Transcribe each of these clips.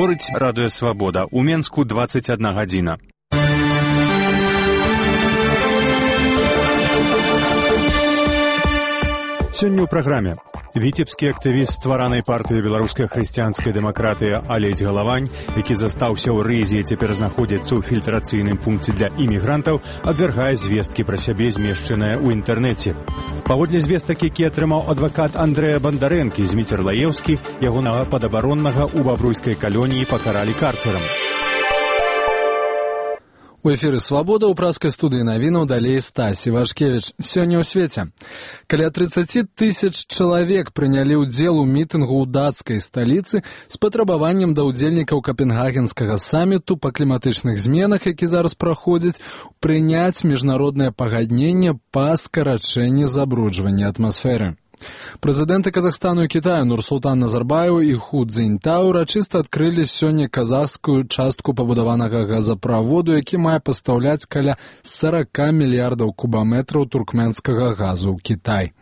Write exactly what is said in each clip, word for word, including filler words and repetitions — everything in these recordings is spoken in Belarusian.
Гаворыць радыё «Свабода». У Менску дваццаць адна гадзіна. Сёння ў праграме. Віцебскі актывіст стваранай партыі беларускай хрысціянскай дэмакратыі Алесь Галавань, які застаўся ў Рызе і цяпер знаходзіцца ў фільтрацыйным пункце для імігрантаў, абвяргае звесткі пра сябе, змешчаныя ў інтэрнэце. Паводле звестак, які атрымаў адвакат Андрэя Бандарэнкі з Міцерлаеўскі, ягонага падабароннага ў бабруйскай калоніі пакаралі карцерам. У эфіры «Свабода» ў праскай студыі навінаў далей Стасі Вашкевіч. Сёння ў свеце. Каля трыццаць тысяч чалавек прынялі ўдзел у мітынгу ў дацкай сталіцы з патрабаваннем да ўдзельнікаў капенгагенскага саміту па кліматычных зменах, які зараз праходзіць, прыняць міжнароднае пагадненне па скарачэнні забруджвання атмасферы. Прэзідэнты Казахстану і Кітаю Нурсултан Назарбаеў і Ху Цзіньтау урачыста адкрылі сёння казахскую частку пабудаванага газаправоду, які мае пастаўляць каля сорок мільярдаў кубаметраў туркменскага газу ў Кітай.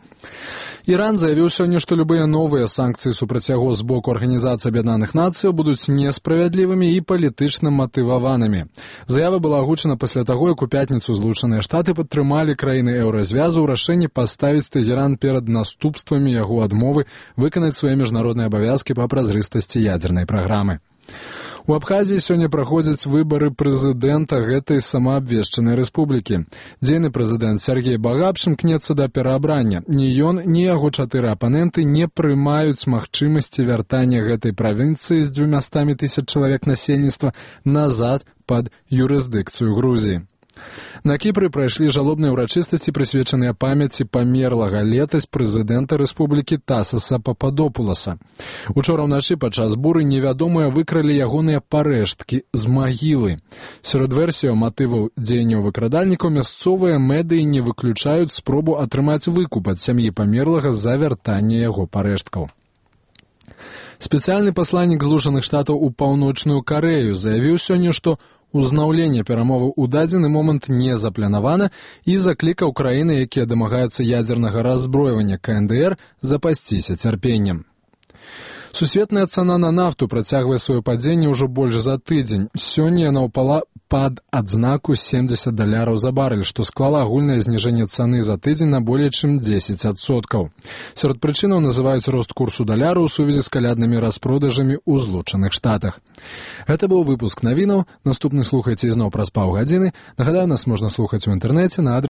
Іран заявіў сёння, што любыя новыя санкцыі супраць яго з боку Арганізацыі Аб'яднаных Нацыяў будуць несправядлівымі і палітычна матываванымі. Заява была агучана пасля таго, як у пятніцу Злучаныя Штаты падтрымалі краіны еўразвязу ў рашэнні паставіць Тэгеран перад наступствамі яго адмовы выканаць свае міжнародныя абавязкі па празрыстасці ядзернай праграмы. У Абхазіі сёння праходзяць выбары прэзідэнта гэтай самаабвешчанай рэспублікі. Дзейны прэзідэнт Сергей Багапшин кнецца да пераабрання. Ні ён, ні яго чатыры апаненты не прымаюць магчымасці вяртання гэтай правінцыі з дзвюмястамі тысяч чалавек насельніцтва назад пад юрысдыкцыю Грузіі. На Кіпры прайшлі жалобныя ўрачыстасці, прысвечаныя памяці памерлага летась прэзідэнта рэспублікі Тасаса Пападопуласа. Учора ўначы падчас буры невядомыя выкралі ягоныя парэшткі з магілы. Сярод версіяў матываў дзеянняў выкрадальнікаў мясцовыя медыі не выключаюць спробу атрымаць выкуп ад сям'і памерлага за вяртанне яго парэшткаў. Спецыяльны пасланнік Злучаных Штатаў у Паўночную Карэю заявіў сёння, што узнаўленне перамоваў у дадзены момант не запланавана і заклікаў краіны, якія дамагаюцца ядзернага раззброівання ка эн дэ эр, запасціся цярпеннем. Сусветная цана на нафту працягвае сваё падзенне ўжо больш за тыдзень. Сёння яна ўпала пад адзнаку семьдесят даляраў за барэль, што склала агульнае зніжэнне цаны за тыдзень на болей чым дзесяць адсоткаў. Сярод прычынаў называюць рост курсу даляра ў сувязі з каляднымі распродажамі ў Злучаных Штатах. Гэта быў выпуск навінаў. Наступны слухайце ізноў праз паўгадзіны. Нагадаю, нас можна слухаць у інтэрнэце на